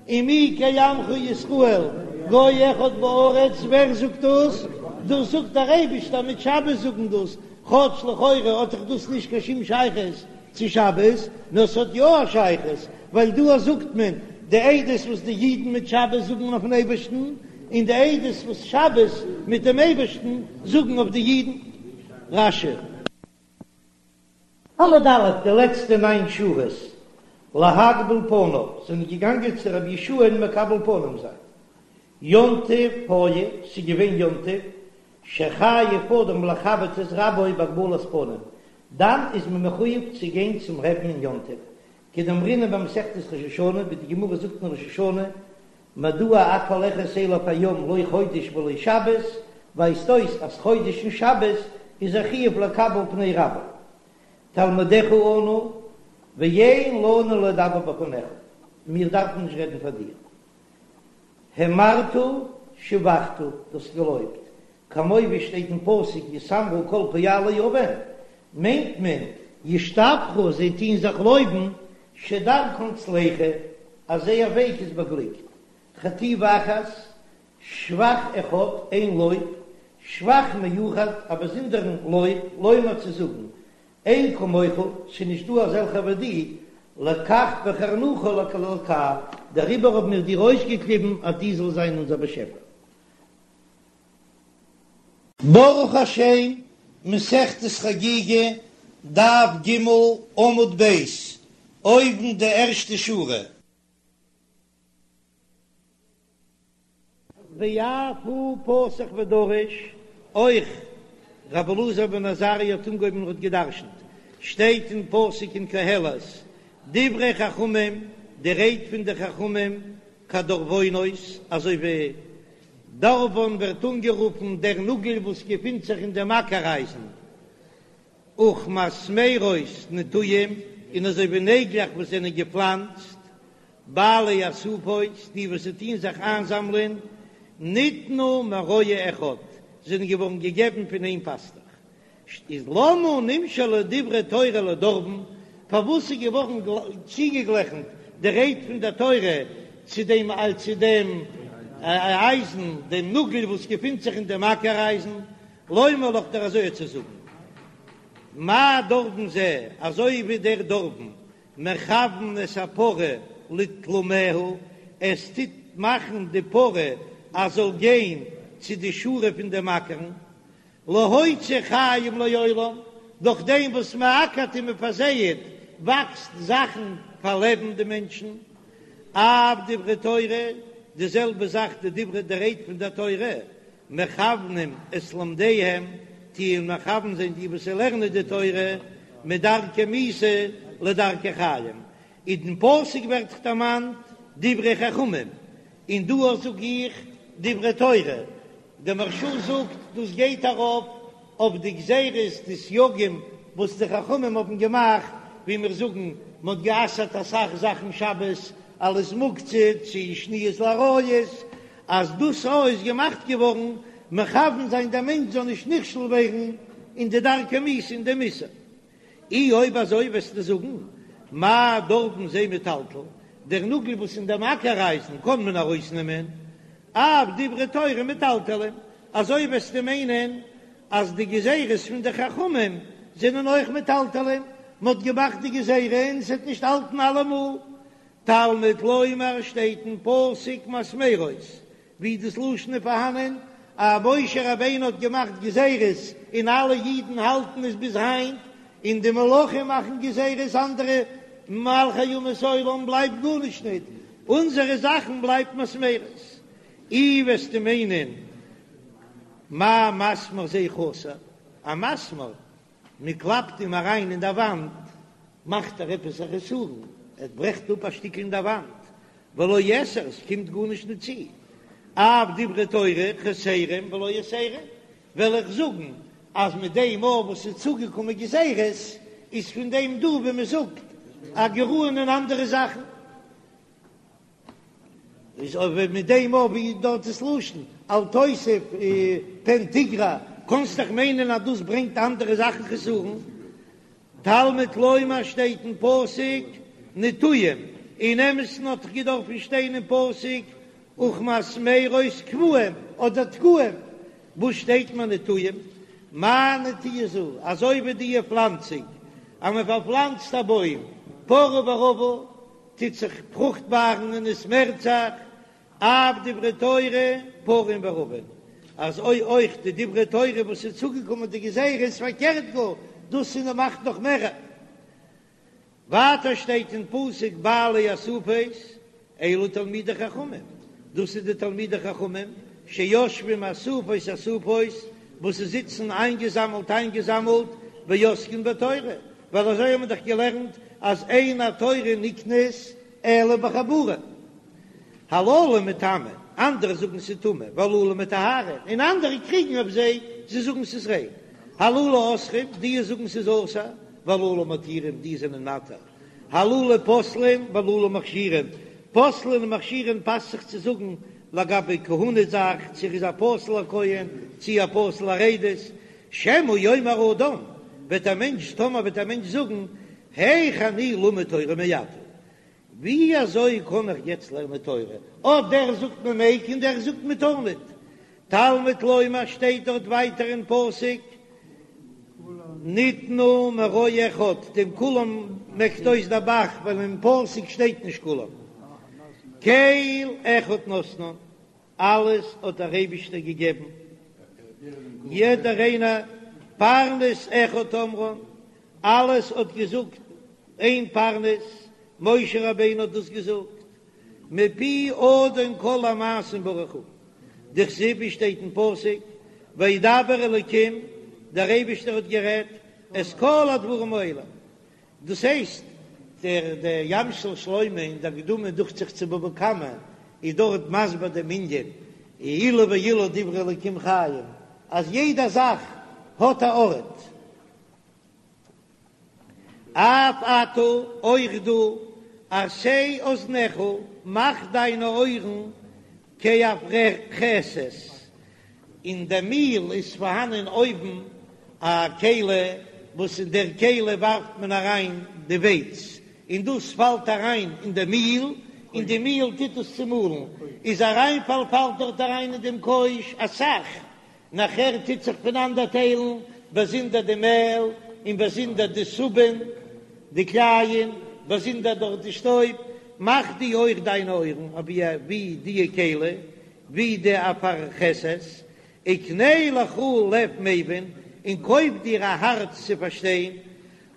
ומי כעמך ישראל גוי אחד בארץ, ווער זאגט דאס? דאס זאגט דער אייבישטער מיט שבת זאגן דאס, כאטש לכאורה האט דאך דאס נישט קיין שום שייכות צו שבת, נאר ס'האט יא א שייכות, ווייל דא זאגט מען די עדות וואס די אידן מיט שבת זאגן אויפן אייבערשטן, און די עדות וואס שבת מיט דעם אייבערשטן זאגן אויף די אידן. רש"י. עמוד א', די לעצטע ניין שורות, להקביל פניו, זענען געגאנגען צו רבי יהושע'ן מקבל פנים זיין. יום טוב היה, ס'איז געווען יום טוב, שחייב אדם לכבד את רבו בהקבלת פנים, דאן איז מען מחויב צו גיין צום רבי'ן אין יום טוב, כדאמרינן במסכת ראש השנה, ווי די גמרא זאגט אין ראש השנה, מדוע את הולכת אליו היום לא חודש ולא שבת, ווייזט אויס אז חודש און שבת איז א חיוב לקבל פני רבו. תלמידיך אנו, ואין לנו לדבר בפניך, מיר דארפן נישט רעדן פאר דיר. האמרת שבחת, דו האסט געלויבט, כמו ווי שטייט אין פסוק יתאמרו כל פועלי און, מיינט מען ישתבחו זיי טוהן זיך לויבן שדרכן צלחה אז זייער וועג איז באגליקט, חטיבה אחת, שבח אחד, איין לויב, שבח מיוחד, א באזונדערן לויב, לומר צו זאגן, אין כמוך, ס'איז נישט דא אזעלכער ווי דו, לכך בחרנוך לאלקה, דעריבער האבן מיר דיר אויסגעקליבן אז דו זאלסט זיין אונזער באשעפער. ברוך השם, מסכת חגיגה, דף ג, עמוד ב', אויבן די ערשטע שורה. ואף הוא פתח ודרש, אויך רבי אלעזר בן עזריה האט אנגעהויבן און האט געדרשנט, שטייט אין פסוק אין קהלת, דברי חכמים, די רייד פון די חכמים, כדרבונות, אזוי ווי דרבון ווערט אנגערופן דער נאגל וואס געפינט זיך אין דעם אקער-אייזן, וכמסמרות נטועים, און אזוי ווי נעגלעך וואס זענען געפלאנצט, בעלי אסופות, די וואס טוען זיך איינזאמלען, ניתנו מרועה אחד, זענען געווארן געגעבן פון איין פאסטוך. איז למה נמשלו דברי תורה לדרבון, פארוואס איז געווארן צוגעגליכנט די רייד פון דער תורה צו דעם צו דעם אייזן, דעם נאגל וואס געפינט זיך אין דעם אקער אייזן, לומר לך דיר אזוי צו זאגן, מה דרבון זה, אזוי ווי דער דרבון מכוון את הפרה לתלמיה, עס טוט מאכן די פרה אז זאל גיין צו די שורה פון דעם אקערן, להוציא חיים לעולם, דורך דעם וואס מען אקערט און מען פארזייעט וואקסט זאכן פאר לעבן די מענטשן, אף דברי תורה, די זעלבע זאך די דברי די רייד פון דער תורה, מכוונים את לומדיהם, טוען מכוון זיין די וואס לערנען די תורה, מדרכי מיתה לדרכי חיים, אין דעם פסוק ווערט דערמאנט דברי חכמים, און דא זאג איך דברי תורה, דער מהרש"א זאגט דאס גייט ארויף אויף די גזירות די סייגים וואס די חכמים האבן געמאכט, ווי מיר זאגן מען האט גע'אסר'ט אסאך זאכן שבת אלס מוקצה צו שניות לעריות, אז דאס אויך איז געמאכט געווארן מכוון זיין דער מענטש זאל נישט נכשל ווערן אין די דרכי מיתה אין דעם איסור. אי אויב אזוי וועסטו זאגן מה דרבון זה מטלטל, דער נאגל וואס אין דעם אקער אייזן קען מען ארויסנעמען, אף דברי תורה מטלטלים, אזוי וועסטו מיינען אז די גזירות פון די חכמים זענען אויך מטלטלין, מען האט געמאכט די גזירה און עס וועט נישט האלטן אלעמאל. תלמוד לומר שטייט אין פסוק מסמרות, ווי דאס לשון איז פארהאנען אז משה רבינו האט געמאכט גזירות און אלע אידן האלטן עס ביז היינט, און די מלכים מאכן גזירות אנדערע מלכי אומות העולם בלייבט גארנישט ניט, אונזערע זאכן בלייבט מסמרות. אי וועסטו מיינען מה מסמר זה חסר, א מסמר מען קלאפט אים אריין אין דער וואנט מאכט ער עפעס א חסרון, ער ברעכט אפ א שטיקל אין דער וואנט, ולא יתר, עס קומט גארנישט ניט צו, אף דברי תורה חסרים ולא יתרים, וועל איך זאגן אז מיט דעם מאל וואס איז צוגעקומען גזירות איז פון דעם דא ווי מען זאגט א גרעון אין אנדערע זאכן. איז אבער מיט דעם אויב ווי דארט איז לשון אל תוסיף פן תגרע, קאנסט דאך מיינען אז דאס ברענגט אנדערע זאכן חסרון. תלמוד לומר שטייט אין פסוק נטועים, אין אמת'ן האט דאך געדארפן שטיין אין פסוק וכמסמרות קבועים אדער תקועים, וואס שטייט מיר נטועים? מה נטיעה זו, אזוי ווי די פלאנצונג אז מען פארפלאנצט א בוים פרה ורבה טוט זיך פרוכטבארן און עס מערט זיך, אף דברי תורה פרין ורבין, אזוי אויך די דברי תורה וואס איז צוגעקומען די גזירות פארקערט גאר, דאס איז מאכט נאך מער. ווייטער שטייט אין פסוק בעלי אסופות אלו תלמידי חכמים, דאס איז די תלמידי חכמים שיושבים אסופות אסופות, וואס זיי זיצן איינגעזאמלט איינגעזאמלט ועוסקין בתורה, ווייל אזוי האבן מיר דאך געלערנט אז אין התורה נקנית אלא בחבורה. הללו מטמאין, אנדערע זאגן ס'איז טמא, והללו מטהרין, און אנדערע קריגן אויף זיי, זיי זאגן ס'איז ריין. הללו אוסרים, די זאגן ס'איז אסור, והללו מתירים, די זענען מתיר. הללו פוסלין, והללו מכשירין. פוסלין און מכשירין פאסט זיך צו זאגן לגבי כהונה זאך, צו ער איז א פסול'ער כהן, צו א פסול'ער עדות. שמא יאמר אדם, וועט א מענטש, טאמער וועט א מענטש זאגן, היאך אני לומד תורה מעתה, ווי אזוי קען איך יעצט לערנען תורה, אט דער זאגט מען מעג און דער זאגט מען טאר ניט. תלמוד לומר שטייט דארט ווייטער אין פסוק, ניתנו מרועה אחד, דעם כולם מעקט אויס דער ב"ח, ווייל אין פסוק שטייט נישט כולם. קל אחד נתנן, אלעס האט דער אייבישטער געגעבן, יעדער איינער, פרנס אחד אמרן, אלעס האט געזאגט איין פרנס, משה רבינו האט דאס געזאגט, מפי אדון כל המעשים ברוך הוא, דכתיב ווי שטייט אין פסוק, וידבר אלקים, דער אייבישטער האט גערעדט, את כל הדברים האלה, דאס הייסט, דער דער ים של שלמה אין דער הקדמה דוכט זיך צו בבא קמא איז דארט מסביר דעם ענין, אלו ואלו דברי אלקים חיים, אז יעדע זאך האט א ארט. אף אתה, אויך דו, עשה אזניך, מאך דיינע אויערן כאפרכסת, אין די מיל איז פארהאנען אויבן א כלי וואס אין דער כלי ווארפט מען אריין די ווייץ און דאס פאלט אריין אין די מיל און די מיל טוט עס צומאלן, איז אריינפאל פאלט דארט אריין אין דעם קויש אסאך, נאכער טוט זיך פונאנדערטיילן באזונדער די מעל און באזונדער די סובין, די קלייען, באזונדער דארט די שטויב, מאך דו אויך דיינע אויערן אווי די כלי, ווי די אפרכסת, וקנה לך לב מבין, און קויף דיר א הארץ צו פארשטיין,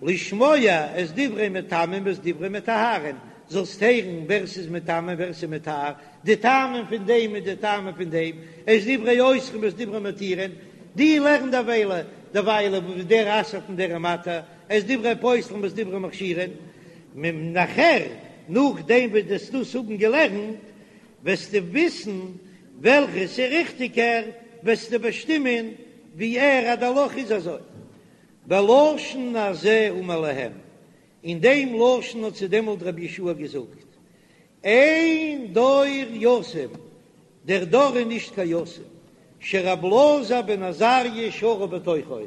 לשמוע את דברי מטמאים ואת דברי מטהרים, זאלסט הערן ווער ס'איז מטמא און ווער ס'איז מטהר, די טעמים פון דעם און די טעמים פון דעם, את דברי אוסרים ואת דברי מתירים, דו לערן דערוויילע דערוויילע וואס דער אסר'ט און דער מתיר, את דברי פוסלים ואת דברי מכשירים, נאכער נאכדעם וואס דו וועסט דאס האבן געלערנט, וועסטו וויסן וועלכע ס'איז ריכטיגער, וועסטו באשטימען ווי ער אז די הלכה איז אזוי. בלשון הזה אמר להם, אין דעם לשון האט צו דעמאלט רבי יהושע געזאגט, אין דור יתום, דער דור איז נישט קיין יתום, שרב אלעזר בן עזריה שרוי בתוכו,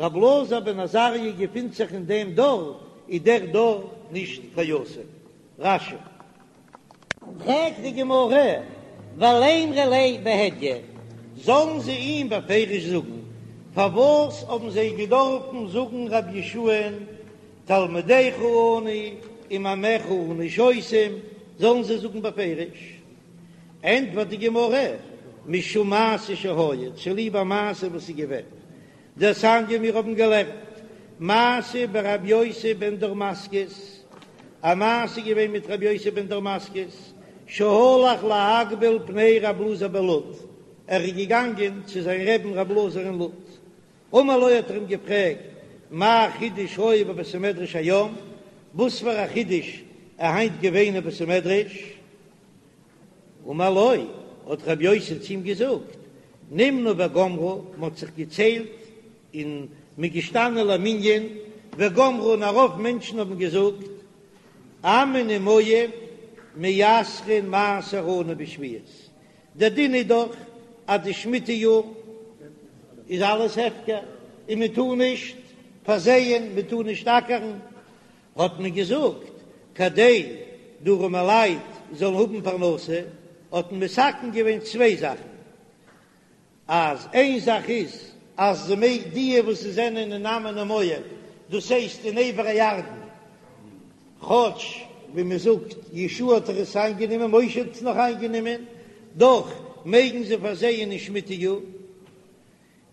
רב אלעזר בן עזריה געפינט זיך אין דעם דור, איז דער דור נישט קיין יתום. רש"י. פרעגט די גמרא, ולימרה ליה בהדיא, זאלן זיי אים בפירוש זאגן, פארוואס האבן זיי געדארפן זאגן רבי יהושע'ן תלמידך אנו וממיך אנו שותים, זאלן זיי זאגן בפירוש? ענטפערט די גמרא, משום מעשה שהיה, צוליב א מעשה וואס איז געווען, דתניא מיר האבן געלערנט מעשה ברבי יוסי בן דורמסקית, א מעשה איז געווען מיט רבי יוסי בן דורמסקית, שהלך להקביל פני רב אלעזר בלוד, ער איז געגאנגען צו זיין רעבן רב אלעזר אין לוד, אמר לו האט ער אים געפרעגט, מה חידוש היה בבית המדרש היום, וואס פאר א חידוש איז היינט געווען אין בית המדרש? אמר לו, האט רבי יוסי צו אים געזאגט, נמנו וגמרו, מען האט זיך געציילט און מען איז געשטאנען למנין, וגמרו און א רוב מענטשן האבן געזאגט, עמון ומואב מעשרין מעשר עני בשביעית, דער דין איז דאך אז די שמיטה יאר איז אלעס הפקר און מען טאר נישט פארזייען, מען טאר נישט אקערן, האט מען געזאגט, כדי די ארעמעלייט זאלן האבן פרנסה, האט מען מתקן געווען צוויי זאכן, אז איין זאך איז אז זיי מעג די וואס זענען אין עמון ומואב, דאס הייסט אין עבר הירדן, כאטש ווי מען זאגט יהושע האט דאך עס איינגענומען, משה האט עס נאך איינגענומען, דאך מעגן זיי פארזייען אין שמיטה יאר.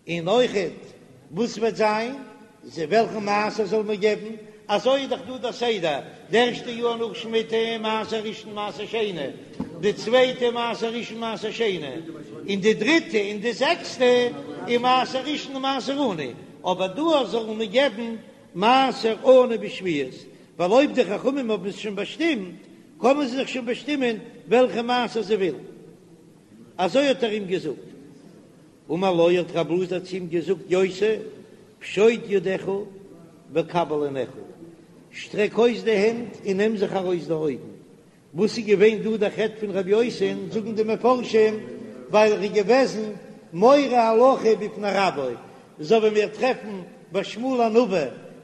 און אויכעט וואס וועט זיין, זיי וועלכן מעשר זאל מען געבן, אזוי איז דאך דא דער סדר, די ערשטע יאר נאך שמיטה מעשר ראשון מעשר שני, די צווייטע מעשר ראשון מעשר שני, און די דריטע און די זעקסטע איז מעשר ראשון און מעשר עני, אבער דא זאל מען געבן מעשר עני בשביעית, ווייל אויב די חכמים האבן עס שוין באשטימט, קענען זיי זיך שוין באשטימען וועלכע מעשר זיי ווילן. אזוי האט ער אים געזאגט. אמר לו האט רב אלעזר צו אים געזאגט יוסי פשוט ידיך וקבל עיניך, שטרעק אויס די הענט און נעם זיך ארויס די אויגן. וואס איז געווען דא דער חטא פון רבי יוסי'ן, זאגן די מפרשים, ווייל ער איז געוועזן מורה הלכה בפני רבו, אזוי ווי מיר טרעפן ביי שמואל הנביא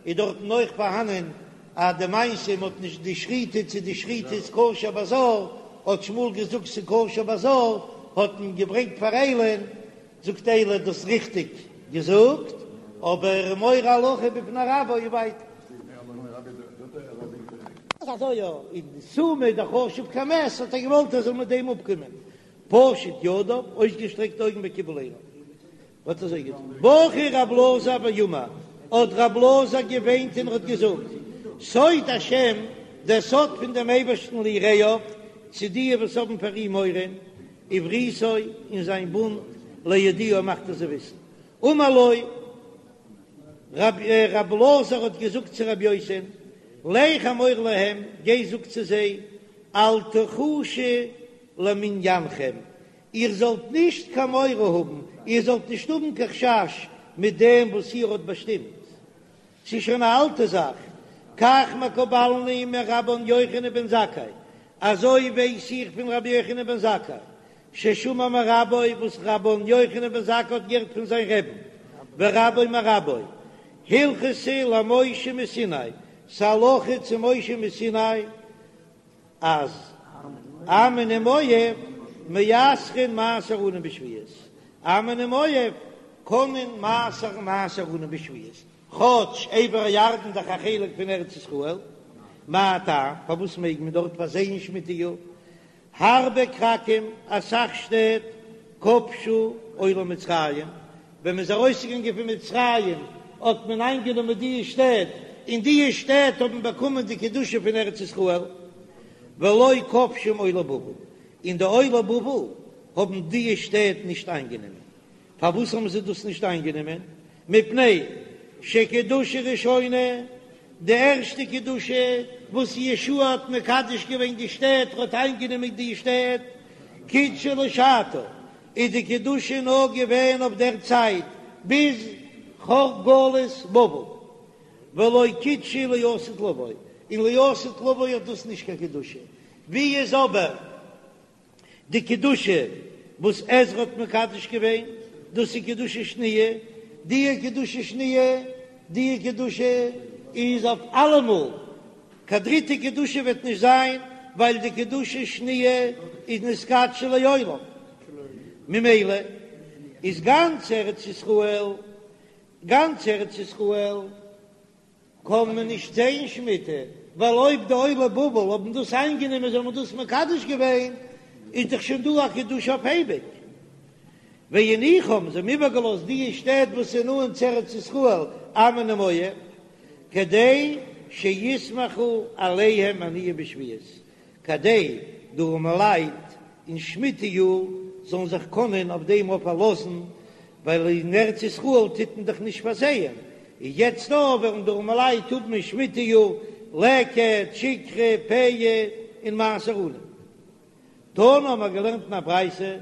איז דארטן אויך פארהאנען אז די מעשה מ'האט נישט די שחיטה צו די שחיטה איז כשר בזר, האט שמואל געזאגט ס'איז כשר בזר, האט מען געברענגט פאר עלי'ן, זאגט עלי דאס ריכטיג געזאגט, אבער מורה הלכה בפני רבו איז ווייטער. אזוי יא, און סומא איז דאך חשוב כמת, האט ער געוואלט ער זאל מיט דעם אפקומען, פשט ידיו, אויסגעשטרעקט די אויגן וקיבל עיניו. האט אזוי געטון. בכה רב אלעזר ואמר, האט רב אלעזר געוויינט און האט געזאגט, סוד השם, דער סוד פון דעם אייבערשטן ליראיו, צו די וואס האבן פאר אים מורא, ובריתו, און זיין בונד, להודיעם מאכט ער זיי וויסן. אמר לו, רב אלעזר האט געזאגט צו רבי יוסי'ן, לך אמור להם, גיי זאג צו זיי, אל תחושו למניינכם, איר זאלט נישט קיין מורא האבן, איר זאלט נישט האבן קיין חשש מיט דעם וואס איר האט באשטימט. ס'איז שוין א אלטע זאך, כך מקובלני מרבן יוחנן בן זכאי, אזוי ווייס איך פון רבי יוחנן בן זכאי, ששמע מרבו, וואס רבן יוחנן בן זכאי האט געהערט פון זיין רעבן, ורבו מרבו, הלכתא למשה מסיני, ס'הלכה צו משה מסיני, אז עמון ומואב מעשרין מעשר עני בשביעית, עמון ומואב קענען מעשר'ן מעשר עני בשביעית, כאטש עבר הירדן דאך א חלק פון ארץ ישראל, מה טעם פארוואס מעג מען דארט פארזייען שמיטה יאר? הרבה כרכים, אסאך שטעט, כבשו עולי מצרים, ווען מ'איז ארויסגעגאנגען פון מצרים האט מען איינגענומען די שטעט, און די שטעט האבן באקומען די קדושה פון ארץ ישראל, ולא כבשום עולי בבל, און די עולי בבל האבן די שטעט נישט איינגענומען. פארוואס האבן זיי דאס נישט איינגענומען? מפני שקדושה ראשונה, די ערשטע קדושה וואס יהושע האט מקדש געווען די שטעט, האט איינגענומען די שטעט, קידשה לשעתה, איז די קדושה נאר געווען אויף דער צייט ביז גלות בבל, ולא קידשה לעתיד לבוא, און לעתיד לבוא האט דאס נישט קיין קדושה, ווי איז אבער די קדושה וואס עזרא האט מקדש געווען, דאס איז קדושה שניה, די קדושה שניה, די קדושה איז אויף אלעמאל, קיין דריטע קדושה וועט נישט זיין, ווייל די קדושה שניה איז נתקדשה לעולם, ממילא איז גאנץ ארץ ישראל, גאנץ ארץ ישראל קען מען נישט זען שמיטה, ווייל אויב די עולי בבל האבן דאס איינגענומען זיי האבן דאס מקדש געווען, איז דאך שוין דא א קדושה אויף אייביג. והניחום, זיי האבן איבערגעלאזט די שטעט וואס איז נאנט צו ארץ ישראל, עמון ומואב, כדי שיסמכו עליהם עניים בשביעית, כדי די ארעמעלייט אין שמיטה יאר זאלן זיך קענען אויף דעם אויף פארלאזן, ווייל אין ארץ ישראל טוט מען דאך נישט פארזייען, און יעצט דא וועלן די ארעמעלייט האבן אין שמיטה יאר לקט, שכחה, פאה און מעשר עני. תנא האבן מיר געלערנט אין א ברייתא,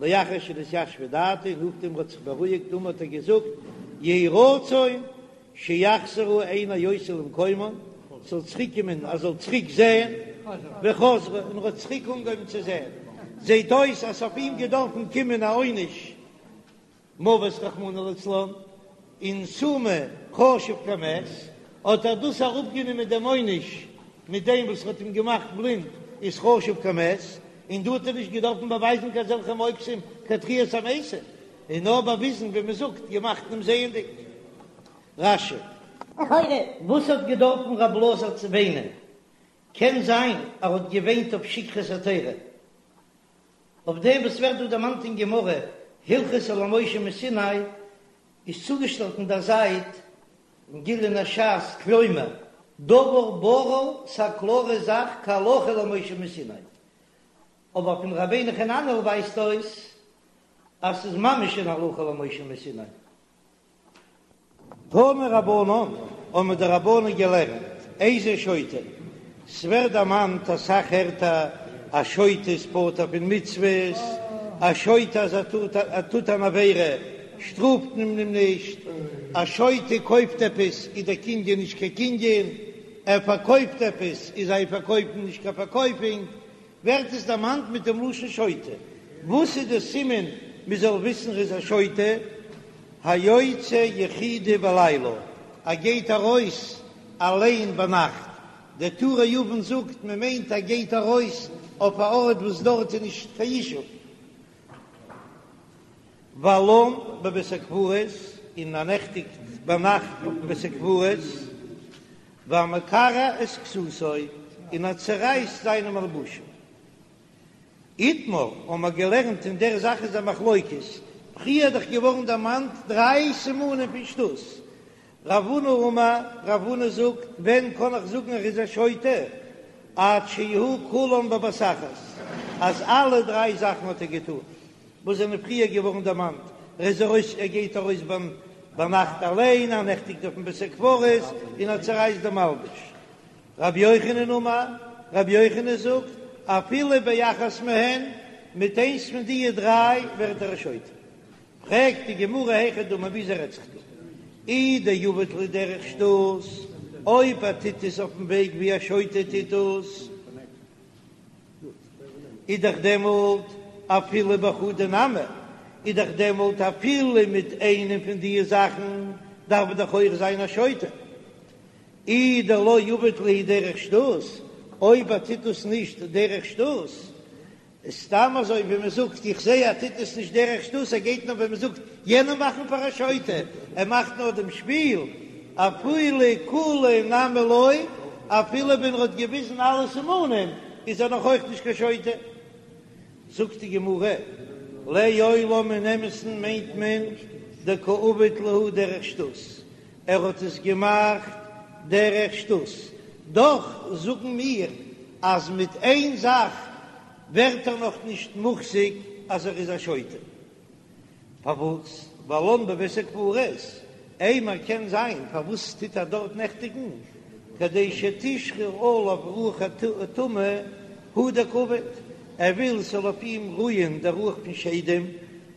לאחר שנתיישבה דעתו, נאכדעם ער האט זיך בארואיגט אמר האט ער געזאגט, יהי רצון שיחזרו עיני אותי למקומן, ס'זאל צוריק קומען ער זאל צוריק זען, וחזרו, און ער האט צוריק אנגעהויבן צו זען, זעט אויס אז ס'אויף אים געדארפן קומען א עונש מוות רחמנא לצלן, און סומא חשוב כמת, האט ער דאס אראפגענומען דעם עונש מיט דעם וואס האט אים געמאכט בלינד איז חשוב כמת, און דא האט ער נישט געדארפן באווייזן קיין אזעלכע מופתים קיין תחיית המתים, און נאר באוויזן ווי מען זאגט געמאכט אים זעענדיג. רש"י. לכאורה וואס האט געדארפן רב אלעזר צו וויינען? קען זיין ער האט געוויינט אויף שכחת התורה, אויף דעם וואס ווערט דא דערמאנט אין גמרא הלכתא למשה מסיני, איז צוגעשטעלט אין דער זייט אין גליון הש"ס כלומר דבר ברור ס'א קלארע זאך כהלכה למשה מסיני, אבער פון רבינו חננאל ווייזט אויס אז ס'איז ממש אין הלכה למשה מסיני. תנו רבנן, האבן די רבנן געלערנט, איזהו שוטה, ס'ווערט דערמאנט אסאך ערטער, א שוטה איז פטור פון מצוות, א שוטה אז ער טוט ער טוט אן עבירה שטראפט מען אים נישט, א שוטה קויפט עפעס איז דער קנין נישט קיין קנין, ער פארקויפט עפעס איז זיין פארקויפן נישט קיין פארקויפונג, ווערט עס דערמאנט מיט דעם לשון שוטה. וואס איז די סימן מען זאל וויסן ער איז א שוטה? היוצא יחידי בלילה, ער גייט ארויס אליין ביינאכט. דער טורי אבן זאגט מען מיינט ער גייט ארויס אויף א ארט וואס דארט איז נישט קיין ישוב. ולן בבית הקברות, און ער נעכטיגט ביינאכט אויפן בית הקברות. והמקרע את כסותו, און ער צערייסט זיינע מלבושים. איתמר, האבן מיר געלערנט אין דער זאך איז א מחלוקת, פריער איז דאך געווארן דערמאנט דריי סימנים פון שטות. רב הונא אמר, רב הונא זאגט, ווען קען איך זאגן ער איז א שוטה? עד שיהו כולן בבת אחת, אז אלע דריי זאכן האט ער געטון. וואס זענען פריער געווארן דערמאנט, ער איז ארויס, ער גייט ארויס ביינאכט אליין, ער נעכטיגט אויפן בית הקברות און ער צערייסט די מלבוש. רבי יוחנן אמר, רבי יוחנן זאגט, אפילו באחת מהן, מיט איינס פון דיע דריי ווערט ער א שוטה. פרעגט די גמרא היכי דמי וויאזוי רעדט זיך דא? אי דעביד להו דרך שטות, אויב ער טוט עס אויפן וועג ווי א שוטה טוט עס, איז דאך דעמאלט אפילו בחדא נמי, איז דאך דעמאלט אפילו מיט איינעם פון די זאכן דארף ער דאך אויך זיין א שוטה. אי דלא עביד להו דרך שטות, אויב ער טוט דאס נישט דרך שטות, איז סתם אזוי ווי מען זאגט, איך זע ער טוט עס נישט דרך שטות, ער גייט נאר ווי מען זאגט יענעם מאכן פאר א שוטה, ער מאכט נאר דעם שפיל, אפילו כולהו נמי לא, אפילו ווען ער האט געוויזן אלע סימנים איז ער נאך אויך נישט קיין שוטה. זאגט די גמרא, לעולם אין אמת'ן מיינט מען דקא עביד להו דרך שטות, ער האט עס געמאכט דרך שטות, דאך זאגן מיר אז מיט איין זאך ווערט ער נאך נישט מוחזק אז ער איז א שוטה. פארוואס? ולן בבית הקברות, אימר קען זיין פארוואס טוט ער דארט נעכטיגן, כדי שתשרה עליו רוח הטומאה הוא דקעביד, ער וויל ס'זאל אויף אים רוען דער רוח פון שדים,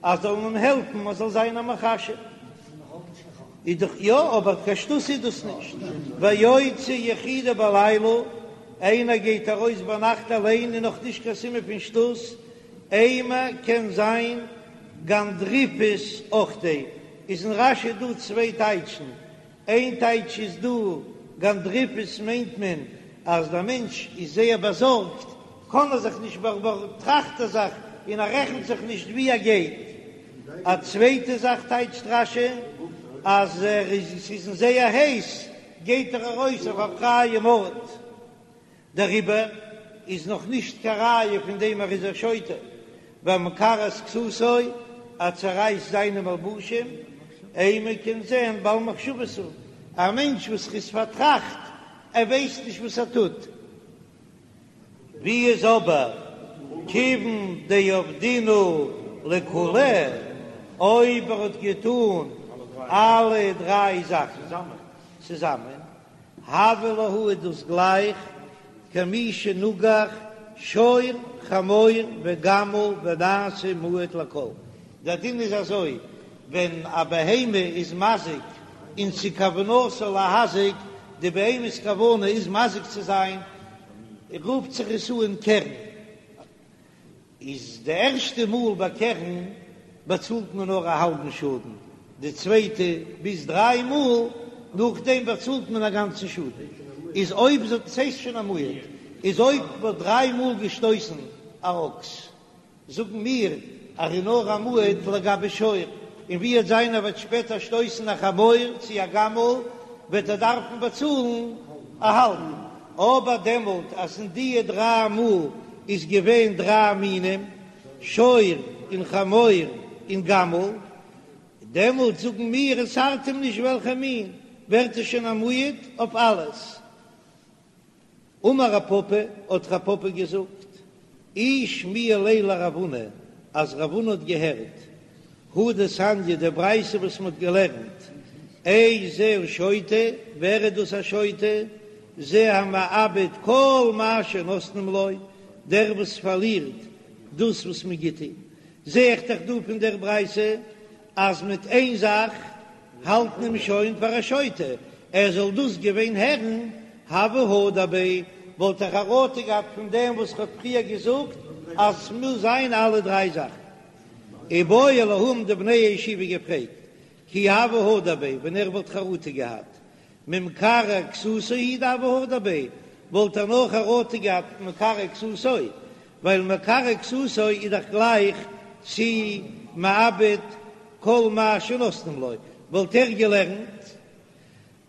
אז זאל אים העלפן אז זאל זיין א מכשף. איז דאך יא, אבער קיין שטות איז דאס נישט. והיוצא יחידי בלילה, איינער גייט ארויס ביינאכט אליין איז נאך נישט קיין סימן פון שטות, אימר קען זיין גנדריפות אוחדיה, איז אין רש"י דא צוויי טייטשן, איין טייטש איז דא גנדריפות מיינט מען אז דער מענטש איז זייער באזארגט, קען ער זיך נישט באטראכט ער זיך און ער רעכנט זיך נישט ווי ער גייט, א צווייטע זאך טייטשט רש"י אז ער איז ס'איז אים זייער הייס גייט ער ארויס אויף א פרייעם ארט, דעריבער איז נאך נישט קיין ראיה פון דעם ער איז א שוטה, והמקרע את כסותו, ער צערייסט זיינע מלבושים, אימא קען זען בעל מחשבות הוא, א מענטש וואס איז פארטראכט, ער ווייסט נישט וואס ער טוט. ווי איז אבער כיוון דעבדינהו לכולהו, אויב ער האט געטון אלע דריי זאכן צוזאמען, הוה להו איז דאס גלייך כמי שנגח שור חמור וגמל ונעשה מועד לכל. דער דין איז אזוי, ווען א בהמה איז מזיק און ס'איז כוונתו להזיק, די בהמה'ס כוונה איז מזיק צו זיין, רופט זיך עס אן קרן. איז די ערשטע מאל ביי קרן באצאלט מען נאר א האלבן שאדן, די צווייטע ביז דריי מאל נאכדעם באצאלט מען א גאנצן שאדן, איז אויב זאגט ס'הייסט שוין א מועד, איז אויב מ'האט דריי מאל געשטויסן א אקס, זאגן מיר אז ער איז נאר א מועד לגבי שור, און ווי וועט זיין ער וועט שפעטער שטויסן א חמור צו א גמל וועט ער דארפן באצאלן א האלבן, אבער דעמאלט אז אין דיע דריי מאל איז געווען דריי מינים, שור און חמור און גמל, דעמאלט זאגן מיר עס ארט אים נישט וועלכע מין, ווערט עס שוין א מועד אויף אלעס. אמר רב פפא, האט רב פפא געזאגט, אי שמיע ליה לרב הונא, אז רב הונא האט געהערט הא דתניא די ברייתא וואס מ'האט געלערנט, איזהו שוטה, ווער איז דאס א שוטה? זה המאבד כל מה שנותנים לו, דער וואס פארלירט דאס וואס מען גיט אים. זע איך דאך דא פון דער ברייתא אז מיט איין זאך האלט מען אים שוין פאר א שוטה, ער זאל דאס געווען הערן, הוה הדר ביה, וואלט ער חרטה געהאט פון דעם וואס כ'האב פריער געזאגט אז ס'מוז זיין אלע דריי זאכן. איבעיא להו האבן די בני הישיבה געפרעגט, כי הוה הדר ביה, ווען ער וואלט חרטה געהאט, ממקרע כסותו הוא דהוה הדר ביה, וואלט ער נאר חרטה געהאט מקרע כסותו, ווייל מקרע כסותו איז דאך גלייך צו מאבד כל מה שנותנים לו, וואלט ער געלערנט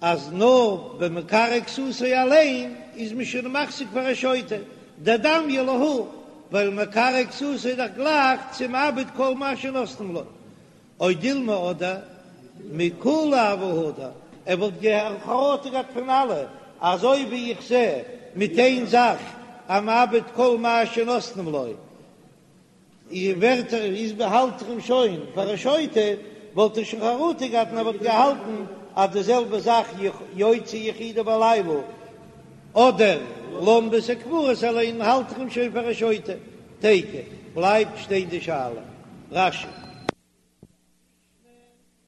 אז נאר במקרע כסותו אליין איז מען שוין מחזיק פאר א שוטה, דדמיא להא, ווייל מקרע כסותו איז דאך גלייך צו מאבד כל מה שנותנים לו, או דילמא אדער מכולהו הוה הדר, ער וואלט חרטה געהאט פון אלע, אזוי ווי איך זע מיט איין זאך המאבד כל מה שנותנים לו, ווערט ער איז האלט איך אים שוין פאר א שוטה, וואלט ער שוין חרטה געהאט און ער וואלט געהאלטן אז די זעלבע זאך יוצא יחידי בלילה אדער לן בית הקברות אליין האלט איך אים שוין פאר א שוטה. תיקו, בלייבט שטיין די שאלה. רש"י.